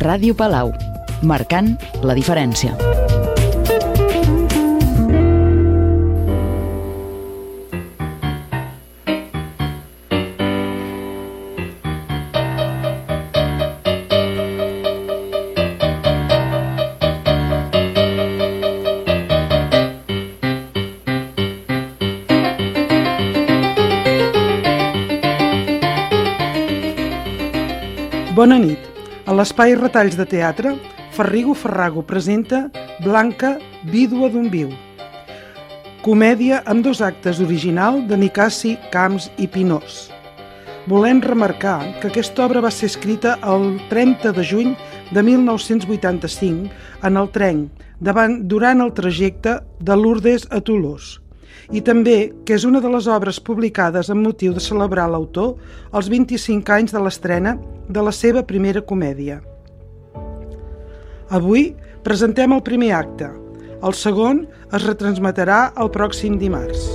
Ràdio Palau, marcant la diferència. Bona nit. A l'espai Retalls de Teatre, Ferrigo Ferrago presenta Blanca, vídua d'un viu. Comèdia amb 2 actes original de Nicasi, Camps i Pinós. Volem remarcar que aquesta obra va ser escrita el 30 de juny de 1985 en el tren durant el trajecte de Lourdes a Toulouse. I també que és una de les obres publicades amb motiu de celebrar l'autor els 25 anys de l'estrena de la seva primera comèdia. Avui presentem el primer acte. El segon es retransmetrà el pròxim dimarts.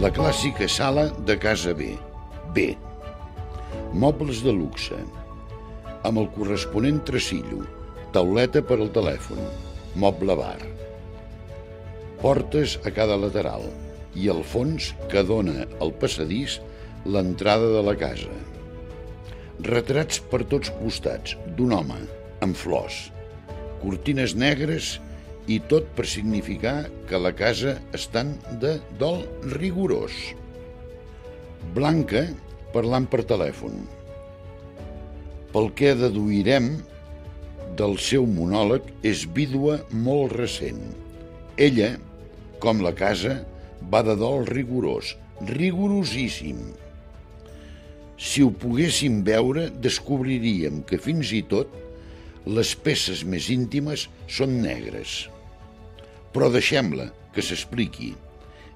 La clàssica sala de casa B. B. Mobles de luxe, amb el corresponent tresillo, tauleta per al telèfon, moble bar. Portes a cada lateral i al fons que dona al passadís l'entrada de la casa. Retrats per tots costats d'un home amb flors, cortines negres i tot per significar que la casa estan de dol rigorós. Blanca parlant per telèfon. Pel que deduirem del seu monòleg, és vídua molt recent. Ella, com la casa, va de dol rigorós, rigorosíssim. Si ho poguéssim veure, descobriríem que fins i tot les peces més íntimes són negres. Però deixem-la que s'expliqui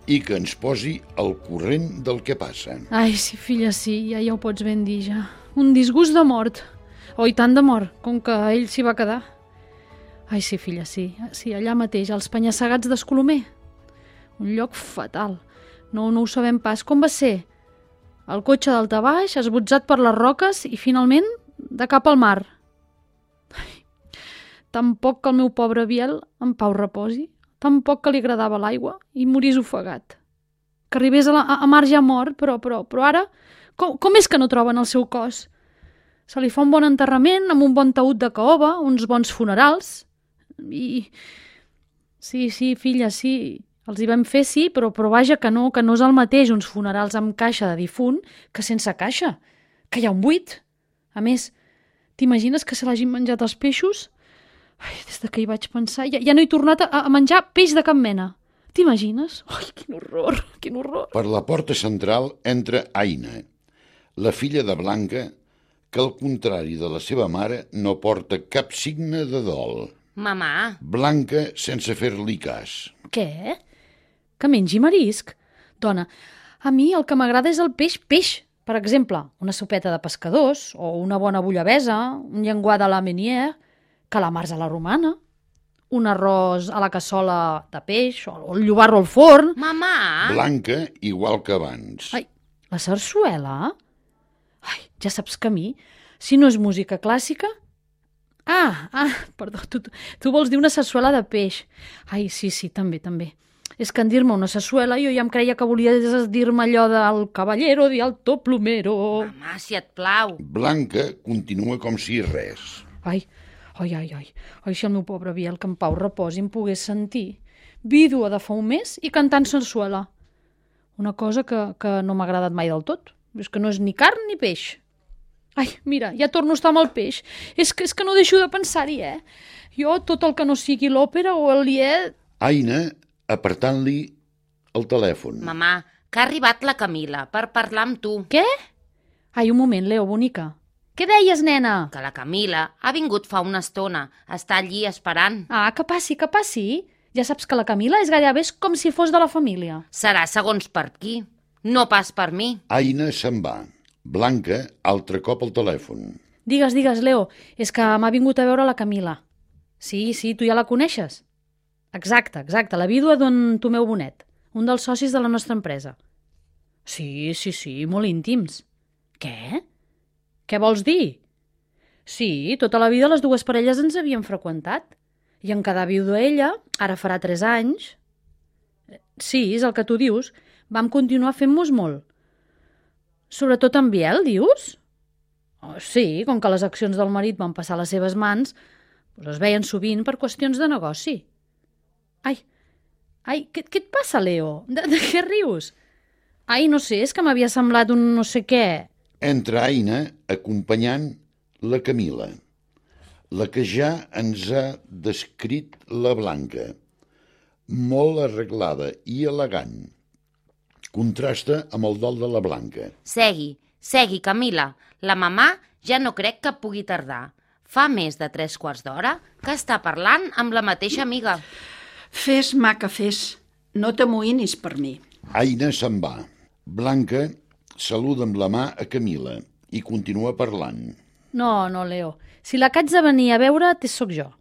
i que ens posi al corrent del que passa. Ai, sí, filla, sí, ja ho pots ben dir, ja. Un disgust de mort. Oh, i tant de mort, com que ell s'hi va quedar. Ai, sí, filla, sí, allà mateix, als penya-segats d'Escolomer. Un lloc fatal. No ho sabem pas. Com va ser? El cotxe d'altabaix, esbotzat per les roques i, finalment, de cap al mar. Ai, tampoc que el meu pobre Biel en pau reposi. Tampoc que li agradava l'aigua i morís ofegat. Que arribés a mar ja mort, però ara, com és que no troben el seu cos? Se li fa un bon enterrament amb un bon taüt de caoba, uns bons funerals i... Sí, filla, sí, els hi vam fer, sí, però vaja que no és el mateix uns funerals amb caixa de difunt que sense caixa, que hi ha un buit. A més, t'imagines que se l'hagin menjat els peixos? Ai, des que hi vaig pensar, ja no he tornat a menjar peix de cap mena. T'imagines? Ai, quin horror, quin horror. Per la porta central entra Aina, la filla de Blanca, que al contrari de la seva mare no porta cap signe de dol. Mamà. Blanca sense fer-li cas. Què? Que mengi marisc? Dona, a mi el que m'agrada és el peix. Per exemple, una sopeta de pescadors o una bona bullabesa, un llenguat a la Meunier, calamars a la romana, un arròs a la cassola de peix o el llobarro al forn. Mamà! Blanca, igual que abans. Ai, la sarsuela? Ai, ja saps que a mi, si no és música clàssica... Perdó, tu vols dir una sarsuela de peix. Ai, sí, també. És que en dir-me una sarsuela jo ja em creia que volies dir-me allò del caballero de alto plumero. Mamà, si et plau. Blanca continua com si res. Ai, si el meu pobre Biel, que en pau reposi, em pogués sentir. Vídua de fa un mes i cantant sarsuela. Una cosa que no m'ha agradat mai del tot. És que no és ni carn ni peix. Ai, mira, ja torno a estar amb el peix. És que no deixo de pensar-hi, Jo, tot el que no sigui l'òpera o el lied... Aina, apartant-li el telèfon. Mamà, que ha arribat la Camila per parlar amb tu. Què? Ai, un moment, Leo, bonica. Què deies, nena? Que la Camila ha vingut fa una estona. Està allí esperant. Ah, que passi. Ja saps que la Camila és gairebé com si fos de la família. Serà segons per qui, no pas per mi. Aina se'n va. Blanca, altre cop al telèfon. Digues, Leo, és que m'ha vingut a veure la Camila. Sí, tu ja la coneixes. Exacte, la vídua d'en Tomeu Bonet, un dels socis de la nostra empresa. Sí, molt íntims. Què? Què vols dir? Sí, tota la vida les dues parelles ens havien freqüentat. I en quedar vídua ella, ara farà 3 anys. Sí, és el que tu dius. Vam continuar fent-nos molt. Sobretot en Biel, dius? Oh, sí, com que les accions del marit van passar a les seves mans, doncs es veien sovint per qüestions de negoci. Ai, què et passa, Leo? De què rius? Ai, no sé, és que m'havia semblat un no sé què. Entra Aina acompanyant la Camila, la que ja ens ha descrit la Blanca, molt arreglada i elegant. Contrasta amb el dol de la Blanca. Segui, Camila. La mamà ja no crec que pugui tardar. Fa més de 3/4 d'hora que està parlant amb la mateixa amiga. Fes, maca, fes. No t'amoïnis per mi. Aina se'n va. Blanca saluda amb la mà a Camila i continua parlant. No, Leo. Si la que haig de venir a veure't sóc jo.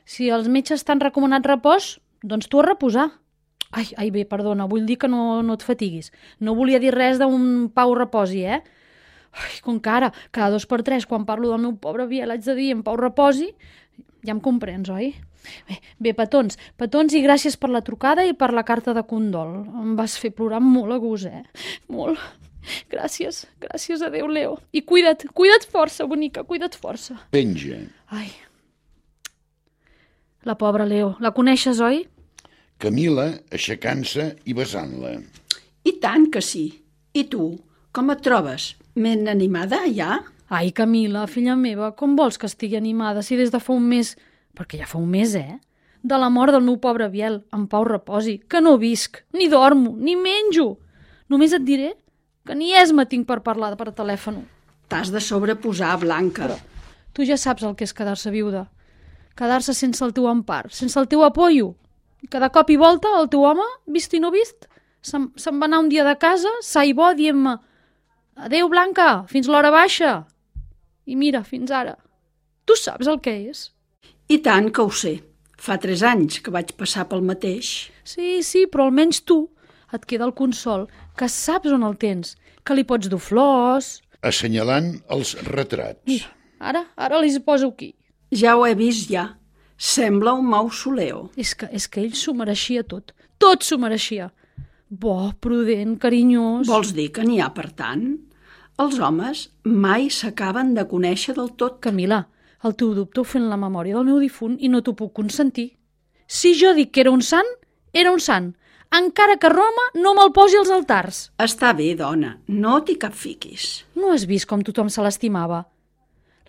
Si els metges t'han recomanat repòs, doncs tu a reposar. Ai, bé, perdona, vull dir que no et fatiguis. No volia dir res d'un Pau reposi, eh? Ai, com que ara, cada 2 per 3, quan parlo del meu pobre Biel, haig de dir en Pau reposi, ja em comprens, oi? Bé, petons, i gràcies per la trucada i per la carta de condol. Em vas fer plorar molt a gust, Molt. Gràcies, adéu, Leo. I cuida't força, bonica, cuida't força. Penja. Ai. La pobra Leo, la coneixes, oi? Camila aixecant-se i besant-la. I tant que sí. I tu, com et trobes? Ben animada, ja? Ai, Camila, filla meva, com vols que estigui animada si des de fa un mes, perquè ja fa un mes, de la mort del meu pobre Biel, en Pau reposi, que no visc, ni dormo, ni menjo. Només et diré que ni esma tinc per parlar per telèfon. T'has de sobreposar, Blanca. Però tu ja saps el que és quedar-se viuda. Quedar-se sense el teu empar, sense el teu apoyo. I cada cop i volta el teu home, vist i no vist, se'n va anar un dia de casa, sa i bo, dient-me «Adéu, Blanca, fins l'hora baixa». I mira, fins ara. Tu saps el que és? I tant que ho sé. Fa 3 anys que vaig passar pel mateix. Sí, però almenys tu et queda el consol, que saps on el tens, que li pots dur flors... Assenyalant els retrats. Mira, ara li poso aquí. Ja ho he vist, ja. Sembla un mausoleu. És que ell s'ho mereixia tot. Tot s'ho mereixia. Bo, prudent, carinyós... Vols dir que n'hi ha per tant? Els homes mai s'acaben de conèixer del tot. Camila, el teu dubte ho fent la memòria del meu difunt i no t'ho puc consentir. Si jo dic que era un sant, era un sant. Encara que Roma no me'l posi als altars. Està bé, dona, no t'hi capfiquis. No has vist com tothom se l'estimava?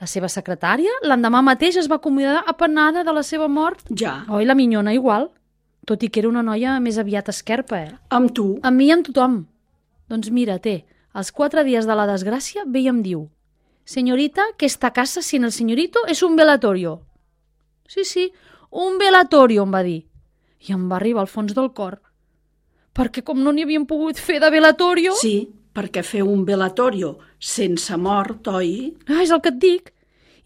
La seva secretària l'endemà mateix es va acomiadar apenada de la seva mort. Ja. Oi, la minyona igual. Tot i que era una noia més aviat esquerpa, Amb tu? Amb mi i amb tothom. Doncs mira, als 4 dies de la desgràcia ve i em diu «Señorita, que esta casa sin el señorito es un velatorio». Sí, un velatorio, em va dir. I em va arribar al fons del cor. Perquè com no n'hi havien pogut fer de velatorio... Sí, perquè fer un velatorio sense mort, oi? És el que et dic.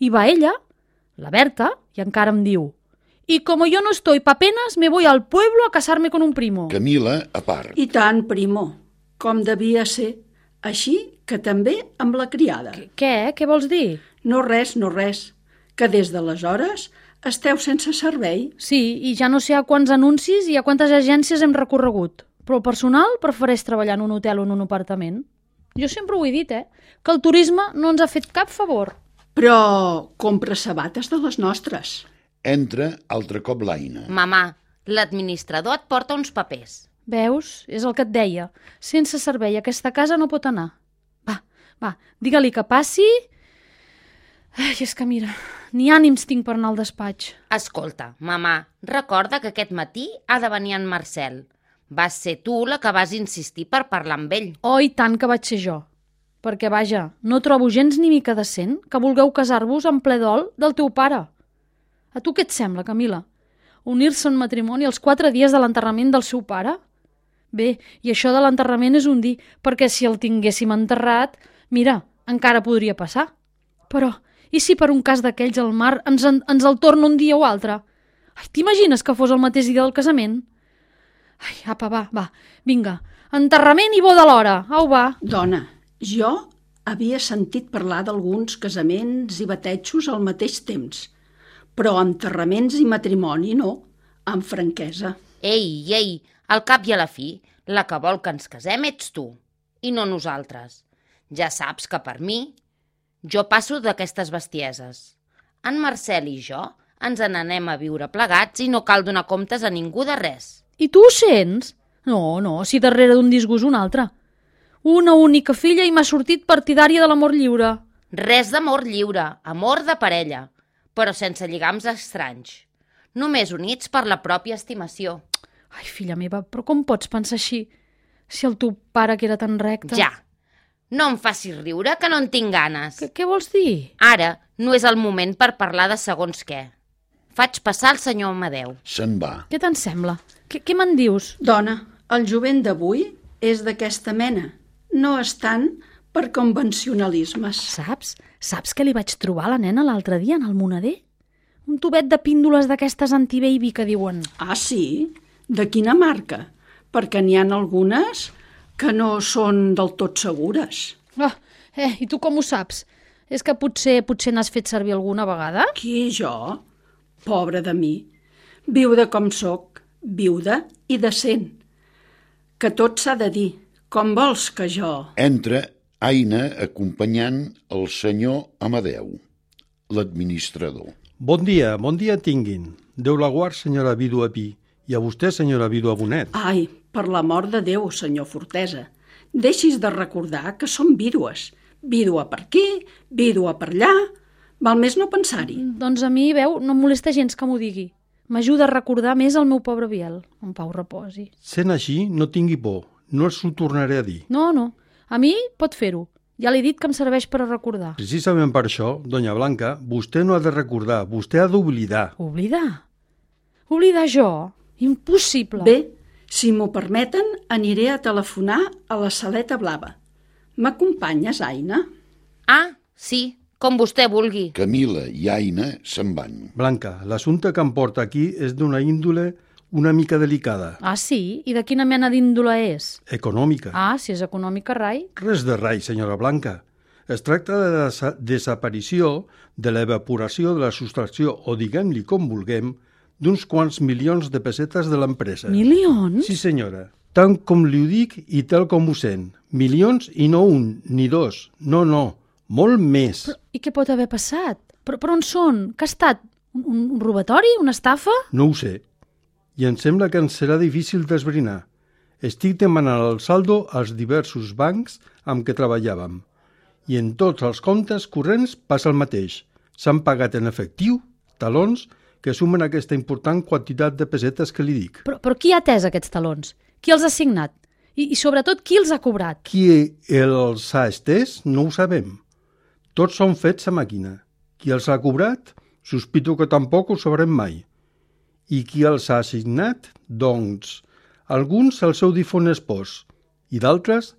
I va ella, la Berta, i encara em diu «Y como yo no estoy pa penas, me voy al pueblo a casarme con un primo». Camila, a part. I tant, primo, com devia ser. Així que també amb la criada. Què? Què vols dir? No res, que des d'aleshores esteu sense servei. Sí, i ja no sé a quants anuncis i a quantes agències hem recorregut. Però el personal prefereix treballar en un hotel o en un apartament. Jo sempre ho he dit, que el turisme no ens ha fet cap favor. Però compra sabates de les nostres. Entra altre cop l'Aina. Mamà, l'administrador et porta uns papers. Veus? És el que et deia. Sense servei a aquesta casa no pot anar. Va, digue-li que passi... Ai, és que mira, ni ànims tinc per anar al despatx. Escolta, mamà, recorda que aquest matí ha de venir en Marcel. Vas ser tu la que vas insistir per parlar amb ell. Oh, i tant que vaig ser jo. Perquè, vaja, no trobo gens ni mica decent que vulgueu casar-vos en ple dol del teu pare. A tu què et sembla, Camila? Unir-se en matrimoni els 4 dies de l'enterrament del seu pare? Bé, i això de l'enterrament és un dir, perquè si el tinguéssim enterrat, mira, encara podria passar. Però, I si per un cas d'aquells el mar ens el torna un dia o altre? Ai, t'imagines que fos el mateix dia del casament? Ai, apa, va, vinga. Enterrament i boda alhora. Au, va. Dona, jo havia sentit parlar d'alguns casaments i batejos al mateix temps, però enterraments i matrimoni no, amb franquesa. Ei, al cap i a la fi, la que vol que ens casem ets tu, i no nosaltres. Ja saps que per mi, jo passo d'aquestes bestieses. En Marcel i jo ens n'anem a viure plegats i no cal donar comptes a ningú de res. I tu ho sents? No, si darrere d'un disgust un altre. Una única filla i m'ha sortit partidària de l'amor lliure. Res d'amor lliure, amor de parella, però sense lligams estranys. Només units per la pròpia estimació. Ai, filla meva, però com pots pensar així? Si el teu pare que era tan recte... Ja, no em facis riure, que no en tinc ganes. Què vols dir? Ara no és el moment per parlar de segons què. Faig passar el senyor Amadeu. Se'n va. Què te'n sembla? Què me'n dius? Dona, el jovent d'avui és d'aquesta mena. No estan per convencionalismes. Saps que li vaig trobar a la nena l'altre dia en el moneder? Un tubet de píndoles d'aquestes anti-baby que diuen. Ah, sí? De quina marca? Perquè n'hi ha algunes que no són del tot segures. I tu com ho saps? És que potser n'has fet servir alguna vegada? Qui, jo? Pobre de mi. Viuda com sóc, viuda i decent. Que tot s'ha de dir. Com vols que jo... Entra Aina acompanyant el senyor Amadeu, l'administrador. Bon dia tinguin. Déu la guard, senyora vídua Pi, i a vostè, senyora vídua Bonet. Ai, per l'amor de Déu, senyor Fortesa, deixis de recordar que som vídues. Vídua per aquí, vídua per allà... Val més no pensar-hi. Doncs a mi, veu, no em molesta gens que m'ho digui. M'ajuda a recordar més el meu pobre Biel. En pau reposi. Sent així, no tingui por. No els ho tornaré a dir. No. A mi pot fer-ho. Ja l'he dit que em serveix per a recordar. Precisament per això, doña Blanca, vostè no ha de recordar, vostè ha d'oblidar. Oblidar? Oblidar jo? Impossible. Bé, si m'ho permeten, aniré a telefonar a la Saleta Blava. M'acompanyes, Aina? Ah, sí, com vostè vulgui. Camila i Aina se'n van. Blanca, l'assumpte que em porta aquí és d'una índole una mica delicada. Ah, sí? I de quina mena d'índole és? Econòmica. Ah, si és econòmica, rai. Res de rai, senyora Blanca. Es tracta de la desaparició, de l'evaporació de la sostracció, o diguem-li com vulguem, d'uns quants milions de pessetes de l'empresa. Milions? Sí, senyora. Tant com li ho dic i tal com ho sent. Milions i no un, ni dos. No, molt més. I què pot haver passat? Però on són? Que ha estat? Un robatori? Una estafa? No ho sé. I em sembla que ens serà difícil d'esbrinar. Estic demanant el saldo als diversos bancs amb què treballàvem. I en tots els comptes corrents passa el mateix. S'han pagat en efectiu, talons, que sumen aquesta important quantitat de pessetes que li dic. Però qui ha atès aquests talons? Qui els ha signat? I sobretot, qui els ha cobrat? Qui els ha estès no ho sabem. Tots són fets a màquina. Qui els ha cobrat? Sospito que tampoc ho sabrem mai. I qui els ha assignat? Doncs, alguns al seu difon espòs. I d'altres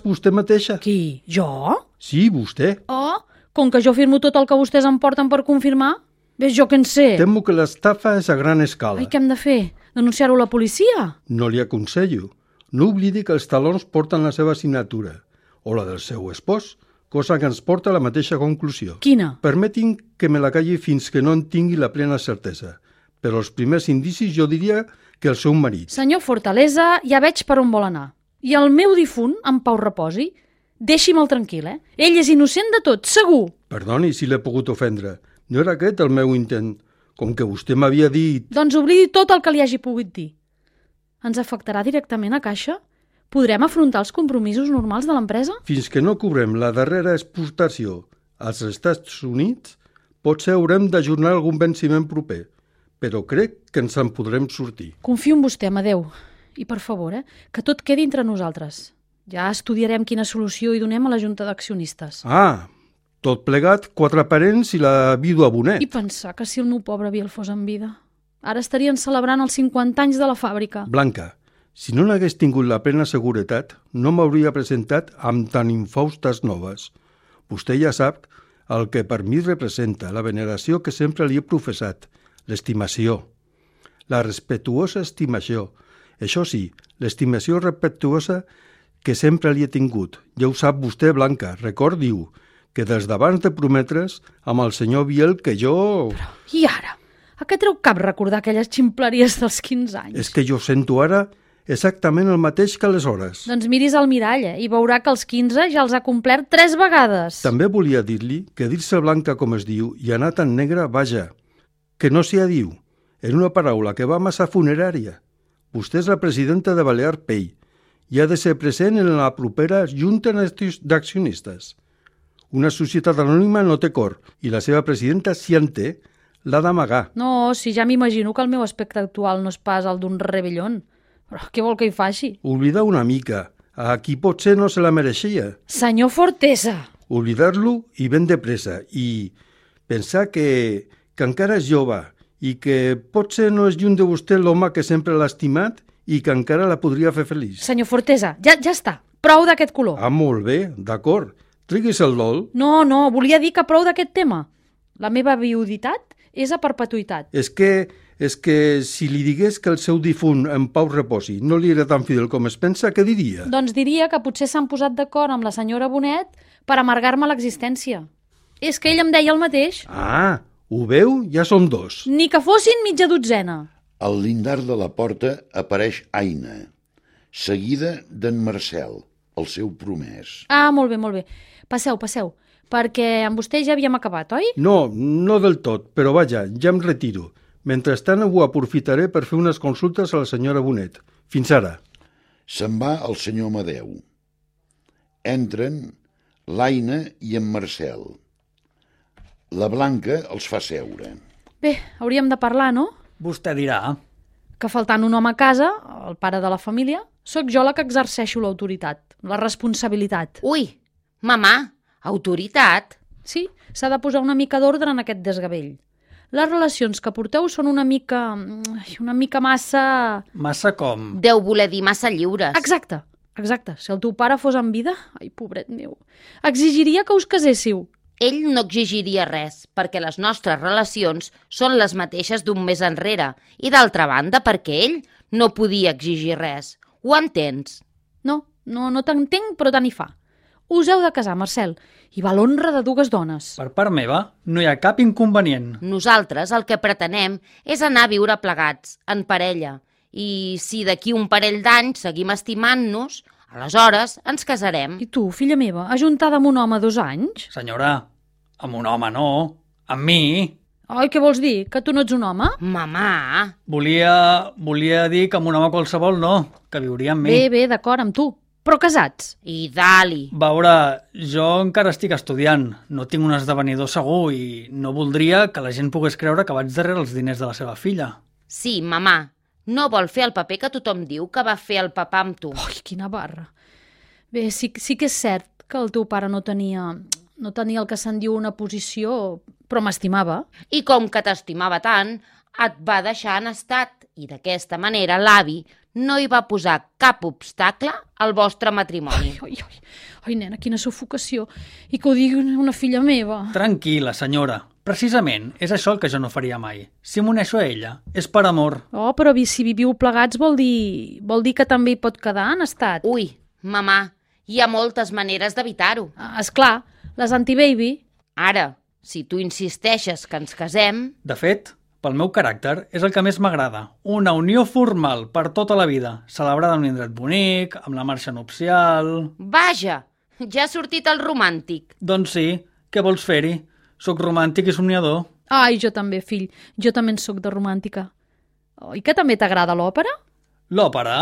vostè mateixa. Qui? Jo? Sí, vostè. Oh, com que jo firmo tot el que vostès em porten per confirmar? Ves jo que en sé. Temo que l'estafa és a gran escala. Ai, què hem de fer? Denunciar-ho a la policia? No li aconsello. No oblidi que els talons porten la seva signatura, o la del seu espòs, cosa que ens porta a la mateixa conclusió. Quina? Permetin que me la calli fins que no en tingui la plena certesa. Però els primers indicis jo diria que el seu marit. Senyor Fortaleza, ja veig per on vol anar. I el meu difunt, en pau reposi, deixi'm-el tranquil, eh? Ell és innocent de tot, segur. Perdoni si l'he pogut ofendre. No era aquest el meu intent. Com que vostè m'havia dit... Doncs oblidi tot el que li hagi pogut dir. Ens afectarà directament a caixa? Podrem afrontar els compromisos normals de l'empresa? Fins que no cobrem la darrera exportació als Estats Units, potser haurem d'ajornar algun venciment proper, però crec que ens en podrem sortir. Confio en vostè, Amadeu. I per favor, que tot quedi entre nosaltres. Ja estudiarem quina solució hi donem a la Junta d'Accionistes. Ah, tot plegat, 4 parents i la vídua Bonet. I pensar que si el meu pobre Biel fos en vida. Ara estarien celebrant els 50 anys de la fàbrica. Blanca, si no n'hagués tingut la plena seguretat, no m'hauria presentat amb tan infaustes noves. Vostè ja sap el que per mi representa la veneració que sempre li he professat, l'estimació, la respectuosa estimació. Això sí, l'estimació respectuosa que sempre li he tingut. Ja ho sap vostè, Blanca, recordi-ho, que des d'abans de prometre's amb el senyor Biel que jo... I ara? A què treu cap recordar aquelles ximpleries dels 15 anys? És que jo sento ara exactament el mateix que aleshores. Doncs miris al mirall i veurà que els 15 ja els ha complert 3 vegades. També volia dir-li que dir-se Blanca com es diu i anar tan negra, vaja, que no s'hi diu. En una paraula que va massa funerària. Vostè és la presidenta de Balear Pay i ha de ser present en la propera Junta d'Accionistes. Una societat anònima no té cor i la seva presidenta, si en té, l'ha d'amagar. No, si ja m'imagino que el meu aspecte actual no és pas el d'un rebellón. Però què vol que hi faci? Oblidar una mica. A qui potser no se la mereixia. Senyor Fortesa! Oblidar-lo i ben de pressa. I pensar que encara és jove i que potser no és lluny de vostè l'home que sempre l'ha estimat i que encara la podria fer feliç. Senyor Fortesa, ja està. Prou d'aquest color. Ah, molt bé, d'acord. Triguis el dol. No, volia dir que prou d'aquest tema. La meva viuditat és a perpetuïtat. És que si li digués que el seu difunt en pau reposi no li era tan fidel com es pensa, què diria? Doncs diria que potser s'han posat d'acord amb la senyora Bonet per amargar-me l'existència. És que ell em deia el mateix. Ah, ho veu? Ja som 2. Ni que fossin mitja dotzena. Al lindar de la porta apareix Aina, seguida d'en Marcel, el seu promès. Ah, molt bé. Passeu, perquè amb vostè ja havíem acabat, oi? No del tot, però vaja, ja em retiro. Mentrestant ho aprofitaré per fer unes consultes a la senyora Bonet. Fins ara. Se'n va el senyor Amadeu. Entren l'Aina i en Marcel. La Blanca els fa seure. Bé, hauríem de parlar, no? Vostè dirà. Que faltant un home a casa, el pare de la família, sóc jo la que exerceixo l'autoritat, la responsabilitat. Ui, mamà, autoritat? Sí, s'ha de posar una mica d'ordre en aquest desgavell. Les relacions que porteu són una mica massa... Massa com? Deu voler dir massa lliures. Exacte. Si el teu pare fos en vida, ai, pobret meu, exigiria que us caséssiu. Ell no exigiria res, perquè les nostres relacions són les mateixes d'un mes enrere, i d'altra banda perquè ell no podia exigir res. Ho entens? No t'entenc, però tant hi fa. Us heu de casar, Marcel, i va l'honra de 2 dones. Per part meva, no hi ha cap inconvenient. Nosaltres el que pretenem és anar a viure plegats, en parella, i si d'aquí un parell d'anys seguim estimant-nos, aleshores ens casarem. I tu, filla meva, ajuntada amb un home 2 anys? Senyora, amb un home no, amb mi. Ai, què vols dir? Que tu no ets un home? Mamà! Volia dir que amb un home qualsevol no, que viuria amb mi. Bé, d'acord, amb tu. Però casats. I dali! Veure, jo encara estic estudiant, no tinc un esdevenidor segur i no voldria que la gent pogués creure que vaig darrere els diners de la seva filla. Sí, mamà, no vol fer el paper que tothom diu que va fer el papà amb tu. Ai, quina barra. Bé, sí que és cert que el teu pare no tenia el que se'n diu una posició, però m'estimava. I com que t'estimava tant, et va deixar en estat i d'aquesta manera l'avi no hi va posar cap obstacle al vostre matrimoni. Ai, nena, quina sufocació. I que ho digui una filla meva. Tranquil·la, senyora. Precisament, és això el que jo no faria mai. Si m'uneixo a ella, és per amor. Oh, però si viviu plegats vol dir que també hi pot quedar en estat. Ui, mamà, hi ha moltes maneres d'evitar-ho. Esclar, les anti-baby. Ara, si tu insisteixes que ens casem... De fet, pel meu caràcter, és el que més m'agrada. Una unió formal per tota la vida, celebrada en un indret bonic, amb la marxa nupcial... Vaja, ja ha sortit el romàntic. Doncs sí, què vols fer-hi? Soc romàntic i somniador. Ai, jo també, fill. Jo també en soc de romàntica. Oi que també t'agrada l'òpera? L'òpera?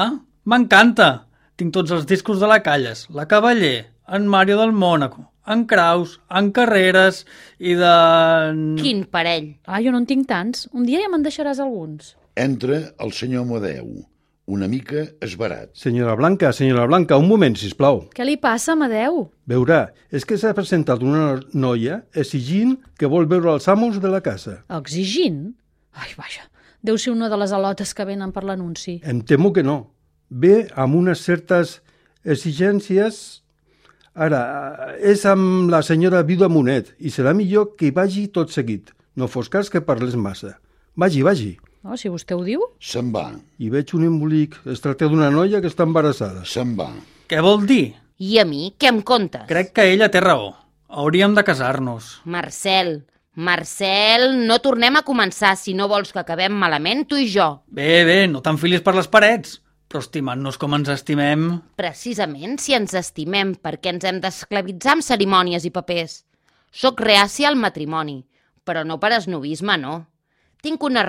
M'encanta! Tinc tots els discos de la Calles, la Cavaller, en Mario del Mònaco, en Kraus, en Carreras i de... Quin parell! Ah, jo no en tinc tants. Un dia ja me'n deixaràs alguns. Entra el senyor Amadeu, una mica esbarat. Senyora Blanca, un moment, sisplau. Què li passa, Amadeu? Veurà, és que s'ha presentat una noia exigint que vol veure els amos de la casa. Exigint? Ai, vaja, deu ser una de les alotes que venen per l'anunci. Em temo que no. Ve amb unes certes exigències Ara, és amb la senyora vídua Monet i serà millor que hi vagi tot seguit. No fos cas que parles massa. Vagi. No, si vostè ho diu. Se'n va, I veig un embolic. Es tracta d'una noia que està embarassada. se'n va. Què vol dir? I a mi, què em contes? Crec que ella té raó. Hauríem de casar-nos. Marcel, no tornem a començar si no vols que acabem malament tu i jo. Bé, no t'enfilis per les parets. Però estimant-nos com ens estimem... Precisament si ens estimem perquè ens hem d'esclavitzar amb cerimònies i papers. Soc reàcia al matrimoni, però no per esnovisme, no. Tinc unes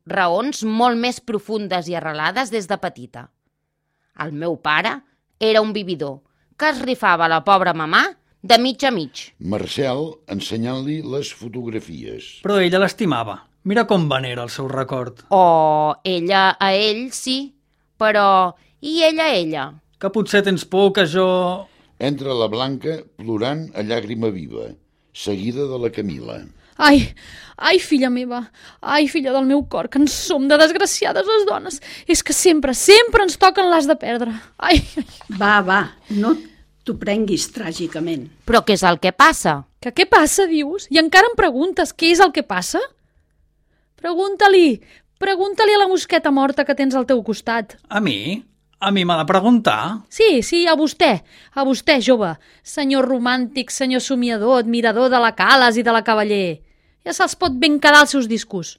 raons molt més profundes i arrelades des de petita. El meu pare era un vividor que es rifava la pobra mamà de mig a mig. Marcel ensenyant-li les fotografies. Però ella l'estimava. Mira com venera el seu record. Oh, ella a ell, sí, però i ella a ella? Que potser tens por que jo... Entra la Blanca plorant a llàgrima viva, seguida de la Camila. Ai, filla meva, ai, filla del meu cor, que en som de desgraciades les dones. És que sempre ens toquen l'as de perdre. Ai. Va, no t'ho prenguis tràgicament. Però què és el que passa? Que què passa, dius? I encara em preguntes què és el que passa? Pregunta-li a la mosqueta morta que tens al teu costat. A mi? A mi m'ha de preguntar? Sí, a vostè, jove, senyor romàntic, senyor somiador, admirador de la Cales i de la Cavaller. Ja se'ls pot ben quedar els seus discos.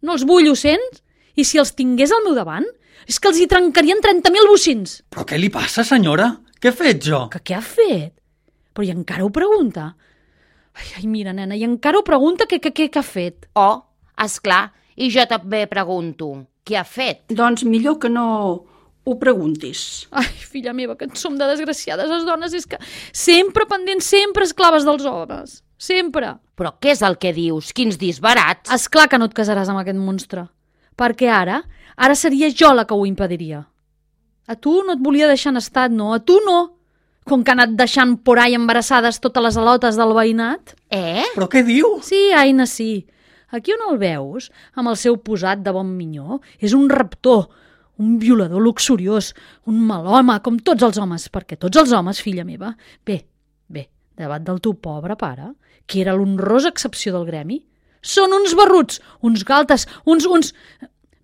No els vull, ho sents? I si els tingués al meu davant, és que els hi trencarien 30.000 bocins. Però què li passa, senyora? Què he fet jo? Que què ha fet? Però i encara ho pregunta? Ai, mira, nena, i encara ho pregunta què ha fet? Oh, esclar, i jo també pregunto, què ha fet? Doncs millor que no ho preguntis. Ai, filla meva, que en som de desgraciades les dones, és que sempre pendents, sempre esclaves dels homes. Sempre. Però què és el que dius? Quins disbarats? Esclar que no et casaràs amb aquest monstre. Perquè ara seria jo la que ho impediria. A tu no et volia deixar en estat, no? A tu no. Com que ha anat deixant por ahí embarassades totes les alotes del veïnat. Però què diu? Sí, Aina, sí. Aquí on el veus, amb el seu posat de bon minyó, és un raptor, un violador luxuriós, un mal home, com tots els homes, perquè tots els homes, filla meva, bé, davant del teu pobre pare, que era l'honrosa excepció del gremi, són uns barruts, uns galtes, uns...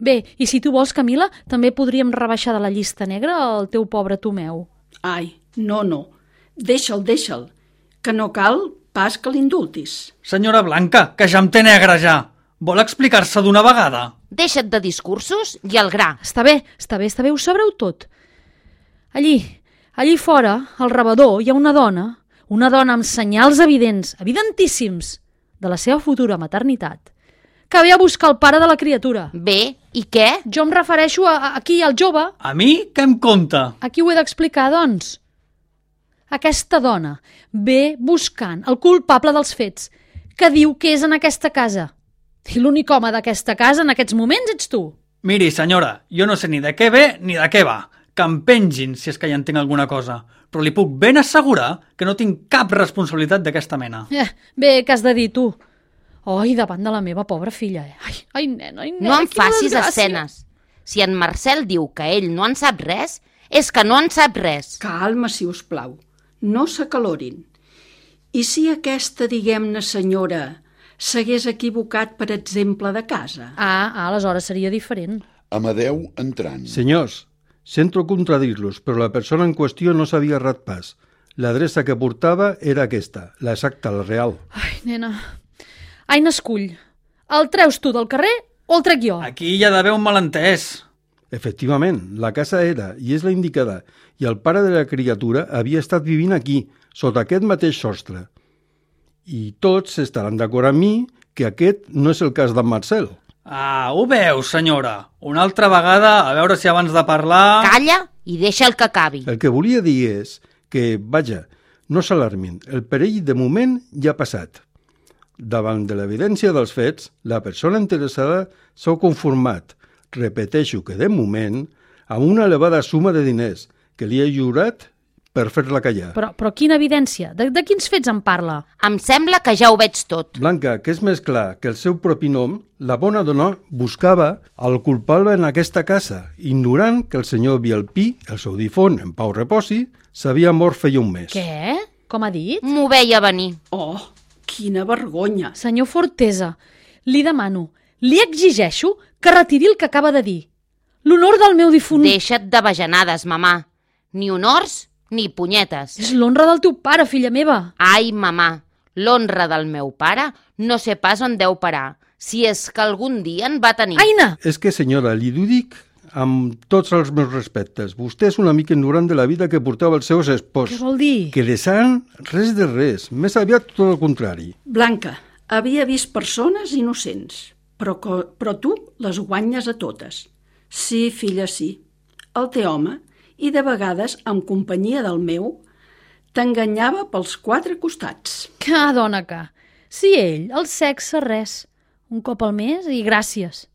Bé, i si tu vols, Camila, també podríem rebaixar de la llista negra el teu pobre Tomeu. Ai, no, deixa'l, que no cal pas que l'indultis. Senyora Blanca, que ja em té negre ja. Vol explicar-se d'una vegada? Deixa't de discursos i al gra. Està bé, ho sabreu tot. Allí fora, al rebedor, hi ha una dona amb senyals evidentíssims de la seva futura maternitat, que ve a buscar el pare de la criatura. Bé, i què? Jo em refereixo aquí al jove. A mi? Què em conta? Aquí ho he d'explicar, doncs. Aquesta dona ve buscant el culpable dels fets, que diu que és en aquesta casa. I l'únic home d'aquesta casa en aquests moments ets tu. Miri, senyora, jo no sé ni de què ve ni de què va. Que em pengin si és que ja en tinc alguna cosa. Però li puc ben assegurar que no tinc cap responsabilitat d'aquesta mena. Bé, què has de dir tu? Ai, davant de la meva pobra filla. Ai, nena, no em facis escenes. Si en Marcel diu que ell no en sap res, és que no en sap res. Calma, si us plau. No s'acalorin. I si aquesta, diguem-ne, senyora, s'hagués equivocat, per exemple, de casa? Aleshores seria diferent. Amadeu entrant. Senyors, sento contradir-los, però la persona en qüestió no s'havia errat pas. L'adreça que portava era aquesta, l'exacta, la real. Ai, nena, Aina, escull. El treus tu del carrer o el trec jo? Aquí hi ha d'haver un malentès. Efectivament, la casa era i és la indicada, i el pare de la criatura havia estat vivint aquí, sota aquest mateix sostre. I tots estaran d'acord amb mi que aquest no és el cas d'en Marcel. Ho veus, senyora. Una altra vegada, a veure si abans de parlar... Calla i deixa el que acabi. El que volia dir és que, vaja, no s'alarmin, el perill de moment ja ha passat. Davant de l'evidència dels fets, la persona interessada s'ha conformat, repeteixo que de moment, amb una elevada suma de diners que li ha lliurat per fer-la callar. Però quina evidència? De quins fets en parla? Em sembla que ja ho veig tot. Blanca, que és més clar que el seu propi nom, la bona dona buscava el culpable en aquesta casa, ignorant que el senyor Bielpí, el seu difont, en pau reposi, s'havia mort feia un mes. Què? com ha dit? M'ho veia venir. Oh, quina vergonya. Senyor Fortesa, li demano, li exigeixo que retiri el que acaba de dir. L'honor del meu difunt... Deixa't de bajanades, mamà. Ni honors ni punyetes. És l'honra del teu pare, filla meva. Ai, mamà, l'honra del meu pare no sé pas on deu parar, si és que algun dia en va tenir. Aina! És que, senyora, li ho dic amb tots els meus respectes. Vostè és una mica ignorant de la vida que portava el seu espòs. Què vol dir? Que de sant, res de res. Més aviat tot el contrari. Blanca, havia vist persones innocents, però tu les guanyes a totes. Sí, filla, sí. El té home, i de vegades, amb companyia del meu, t'enganyava pels 4 costats. Que dona que... Si ell, el sexe, res. Un cop al mes i gràcies.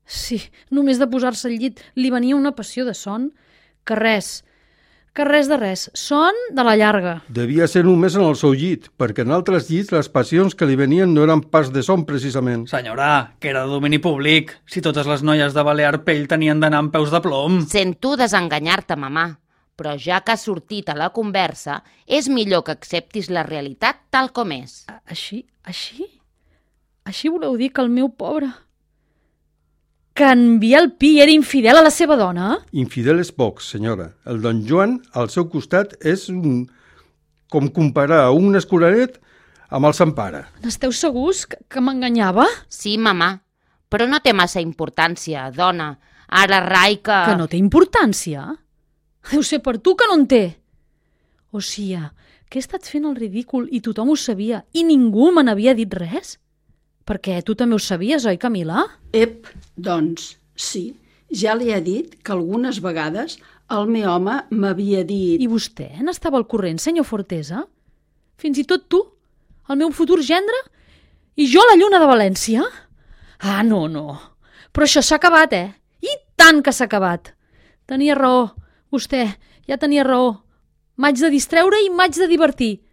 Sí, només de posar-se al llit li venia una passió de son. Que res de res. Son de la llarga. Devia ser només en el seu llit, perquè en altres llits les passions que li venien no eren pas de son, precisament. Senyora, que era de domini públic. Si totes les noies de Balear Pell tenien d'anar amb peus de plom. Sento desenganyar-te, mamà, però ja que has sortit a la conversa, és millor que acceptis la realitat tal com és. Així? Així voleu dir que el meu pobre... Que en Biel Pi era infidel a la seva dona? Infidel és poc, senyora. El don Joan, al seu costat, és com comparar un escolaret amb el Sant Pare. N'esteu segurs que m'enganyava? Sí, mamà, però no té massa importància, dona. Ara rai que... Que no té importància? Deu ser per tu que no en té. O sigui, que he estat fent el ridícul i tothom ho sabia i ningú me n'havia dit res? Perquè tu també ho sabies, oi, Camila? Ep, doncs, sí. Ja li he dit que algunes vegades el meu home m'havia dit... I vostè n'estava al corrent, senyor Fortesa? Fins i tot tu, el meu futur gendre? I jo la lluna de València? Ah, no. Però això s'ha acabat, I tant que s'ha acabat. Tenia raó. Vostè ja tenia raó. M'haig de distreure i m'haig de divertir.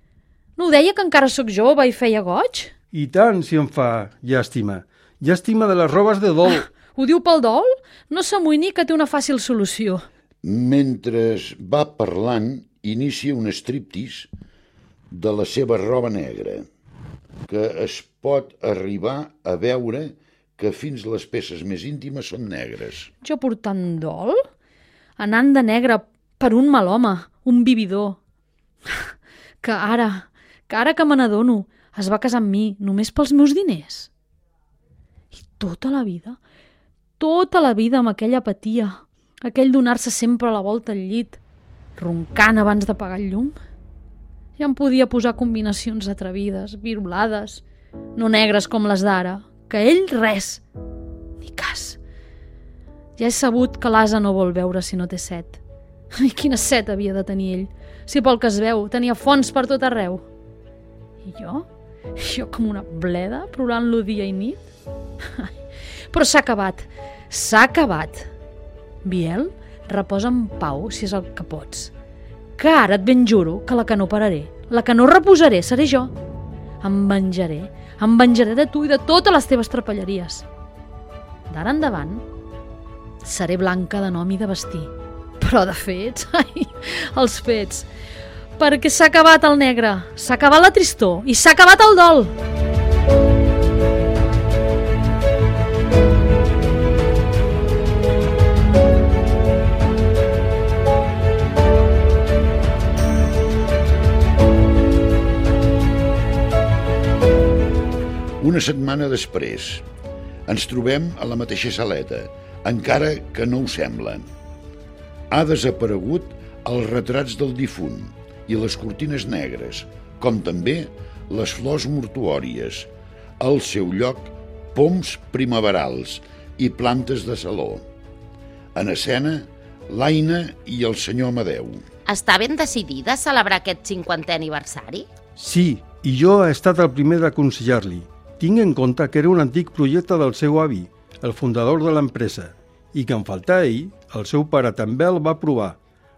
No ho deia que encara sóc jove i feia goig? I tant, si em fa llàstima. Llàstima de les robes de dol. Ho diu pel dol? No s'amoïni que té una fàcil solució. Mentre va parlant, inicia un striptease de la seva roba negra, que es pot arribar a veure que fins les peces més íntimes són negres. Jo portant dol? Anant de negre per un mal home, un vividor. Que ara que me n'adono, es va casar amb mi només pels meus diners. I tota la vida amb aquella apatia, aquell donar-se sempre a la volta al llit, roncant abans d'apagar el llum. Ja em podia posar combinacions atrevides, virolades, no negres com les d'ara, que ell res, ni cas. Ja he sabut que l'ase no vol beure si no té set. I quina set havia de tenir ell, si pel que es veu tenia fonts per tot arreu. I jo com una bleda, plorant-lo dia i nit. Però s'ha acabat. Biel, reposa en pau si és el que pots. Que ara et ben juro que la que no pararé, la que no reposaré, seré jo. Em venjaré de tu i de totes les teves trapelleries. D'ara endavant, seré blanca de nom i de vestir. Però de fets, els fets... Perquè s'ha acabat el negre, s'ha acabat la tristor i s'ha acabat el dol. Una setmana després, ens trobem a la mateixa saleta, encara que no ho sembla. Ha desaparegut els retrats del difunt i les cortines negres, com també les flors mortuòries. Al seu lloc, poms primaverals i plantes de saló. En escena, l'Aina i el senyor Amadeu. Està ben decidida a celebrar aquest 50è aniversari? Sí, i jo he estat el primer d'aconsellar-li. Tinc en compte que era un antic projecte del seu avi, el fundador de l'empresa, i que en faltar ell, el seu pare també el va aprovar.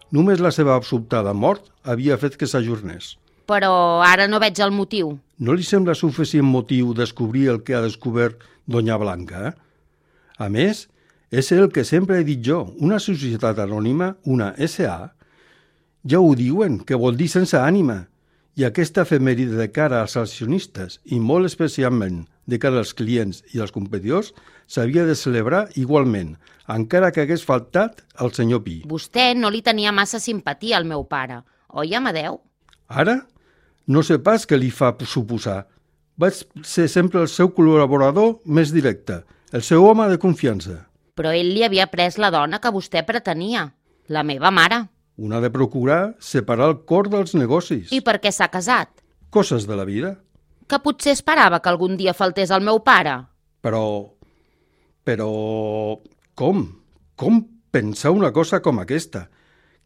Només la seva sobtada mort havia fet que s'ajornés. Però ara no veig el motiu. No li sembla suficient motiu descobrir el que ha descobert Doña Blanca? A més, és el que sempre he dit jo, una societat anònima, una SA. Ja ho diuen, que vol dir sense ànima. I aquesta efemèride de cara als accionistes i molt especialment de cara als clients i als competidors s'havia de celebrar igualment, encara que hagués faltat el senyor Pi. Vostè no li tenia massa simpatia al meu pare, oi, Amadeu? Ara? No sé pas què li fa suposar. Vaig ser sempre el seu col·laborador més directe, el seu home de confiança. Però ell li havia pres la dona que vostè pretenia, la meva mare. Un ha de procurar separar el cor dels negocis. I per què s'ha casat? Coses de la vida. Que potser esperava que algun dia faltés el meu pare. Però... Com? Com pensar una cosa com aquesta?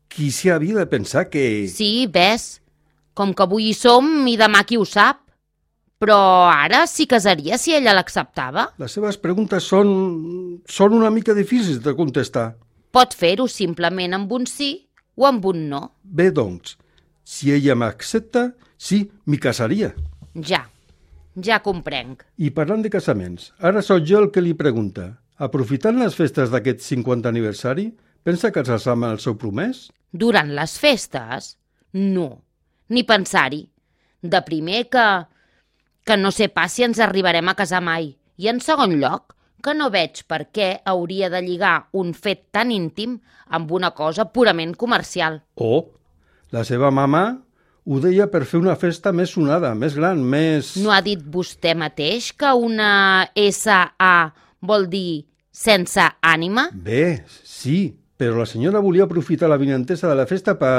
Qui s'hi havia de pensar que... Sí, ves, com que avui hi som i demà qui ho sap. Però ara s'hi casaria si ella l'acceptava? Les seves preguntes són una mica difícils de contestar. Pot fer-ho simplement amb un sí o amb un no. Bé, doncs, si ella m'accepta, sí, m'hi casaria. Ja comprenc. I parlant de casaments, ara sóc jo el que li pregunta. Aprofitant les festes d'aquest 50 aniversari, pensa casar-se amb el seu promès? Durant les festes? No, ni pensar-hi. De primer que no sé pas si ens arribarem a casar mai. I en segon lloc, que no veig per què hauria de lligar un fet tan íntim amb una cosa purament comercial. Oh, la seva mama ho deia per fer una festa més sonada, més gran, més... No ha dit vostè mateix que una S.A. vol dir sense ànima? Bé, sí, però la senyora volia aprofitar la vinentesa de la festa per...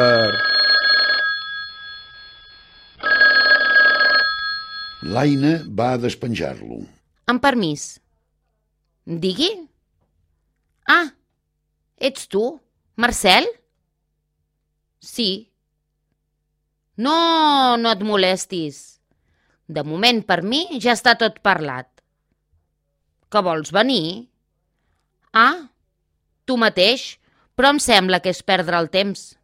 L'Aina va a despenjar-lo. Amb permís. Digui? Ah, ets tu, Marcel? Sí. No et molestis. De moment, per mi, ja està tot parlat. Que vols venir? Ah, tu mateix, però em sembla que és perdre el temps.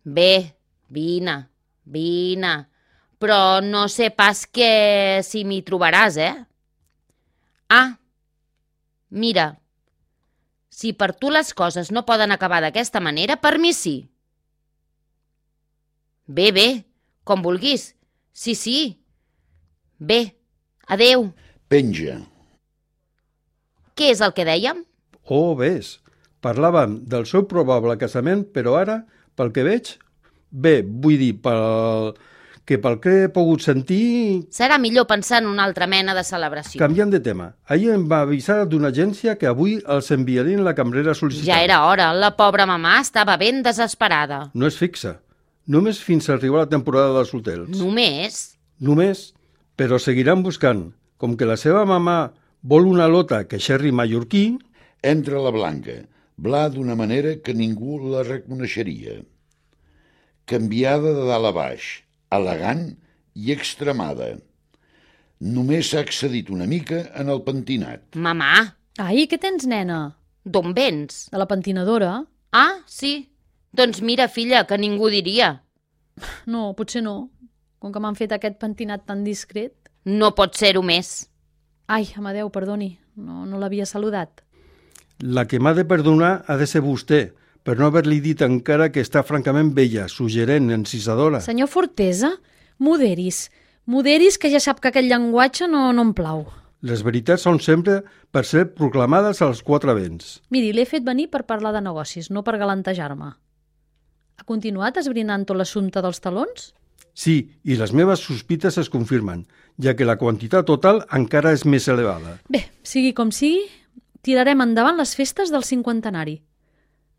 Bé, vine, però no sé pas si m'hi trobaràs, Ah, mira, si per tu les coses no poden acabar d'aquesta manera, per mi sí. Bé, com vulguis. Sí. Bé, adeu. Penja. Què és el que dèiem? Oh, ves, parlàvem del seu probable casament, però ara, pel que veig, bé, vull dir, pel que he pogut sentir... Serà millor pensar en una altra mena de celebració. Canviant de tema, ahir em va avisar d'una agència que avui els enviarien la cambrera sol·licitant. Ja era hora, la pobra mamà estava ben desesperada. No és fixa, només fins a arribar a la temporada dels hotels. Només, però seguiran buscant. Com que la seva mamà vol una lota que xerri mallorquí... Entra la Blanca, bla d'una manera que ningú la reconeixeria. Canviada de dalt a baix, elegant i extremada. Només s'ha accedit una mica en el pentinat. Mamà! Ai, què tens, nena? D'on vens? De la pentinadora? Ah, sí. Doncs mira, filla, que ningú diria. No, potser no. Com que m'han fet aquest pentinat tan discret. No pot ser-ho més. Ai, Amadeu, perdoni, no l'havia saludat. La que m'ha de perdonar ha de ser vostè, per no haver-li dit encara que està francament vella, suggerent, encisadora. Senyor Fortesa, moderis, que ja sap que aquest llenguatge no em plau. Les veritats són sempre per ser proclamades als quatre vents. Miri, l'he fet venir per parlar de negocis, no per galantejar-me. Ha continuat esbrinant tot l'assumpte dels talons? Sí, i les meves sospites es confirmen, ja que la quantitat total encara és més elevada. Bé, sigui com sigui, tirarem endavant les festes del cinquantenari.